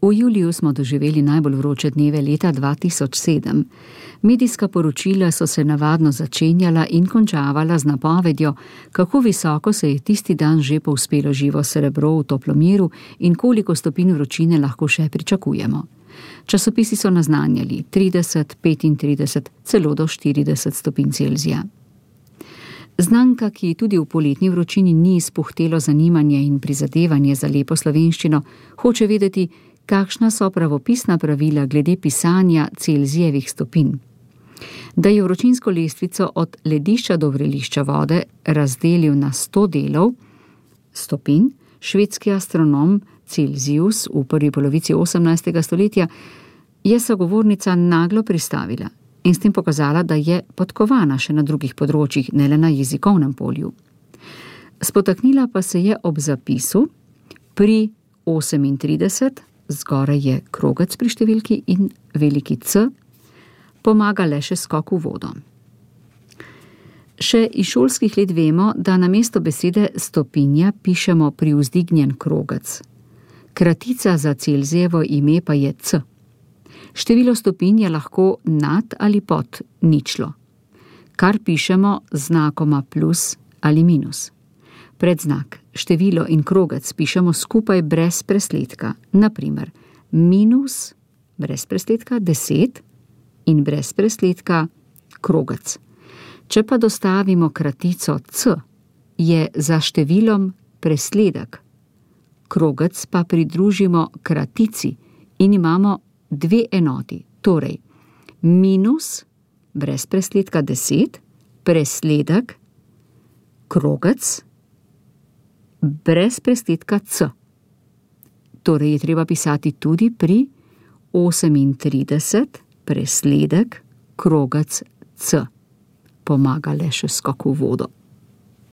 V juliju smo doživeli najbolj vroče dneve leta 2007. Medijska poročila so se navadno začenjala in končavala z napovedjo, kako visoko se je tisti dan že povzpelo živo srebro v toplomeru in koliko stopinj vročine lahko še pričakujemo. Časopisi so naznanjali 30, 35, celo do 40 stopinj Celzija. Znanka, ki tudi v poletni vročini ni izpuhtelo zanimanje in prizadevanje za lepo slovenščino, hoče vedeti, kakšna so pravopisna pravila glede pisanja Celzijevih stopinj. Da je vročinsko lestvico od ledišča do vrelišča vode razdelil na 100 delov stopinj, švedski astronom Celzijus v prvi polovici 18. stoletja je sogovornica naglo pristavila in s tem pokazala, da je podkovana še na drugih področjih, ne le na jezikovnem polju. Spotaknila pa se je ob zapisu pri 38, zgoraj je krogec pri številki in veliki C, pomaga le še skok v vodo. Še iz šolskih let vemo, da namesto besede stopinja pišemo privzdignjen krogec. Kratica za Celzijevo ime pa je C. Število stopinj je lahko nad ali pod ničlo, kar pišemo z znakoma plus ali minus. Predznak, število in krogec pišemo skupaj brez presledka, naprimer minus brez presledka 10 in brez presledka krogec. Če pa dostavimo kratico C, je za številom presledek. Krogec pa pridružimo kratici in imamo dve enoti, torej minus brez presledka 10, presledek, krogec, brez presledka C. Torej je treba pisati tudi pri 38, presledek, krogec C. Pomaga le še skok v vodo.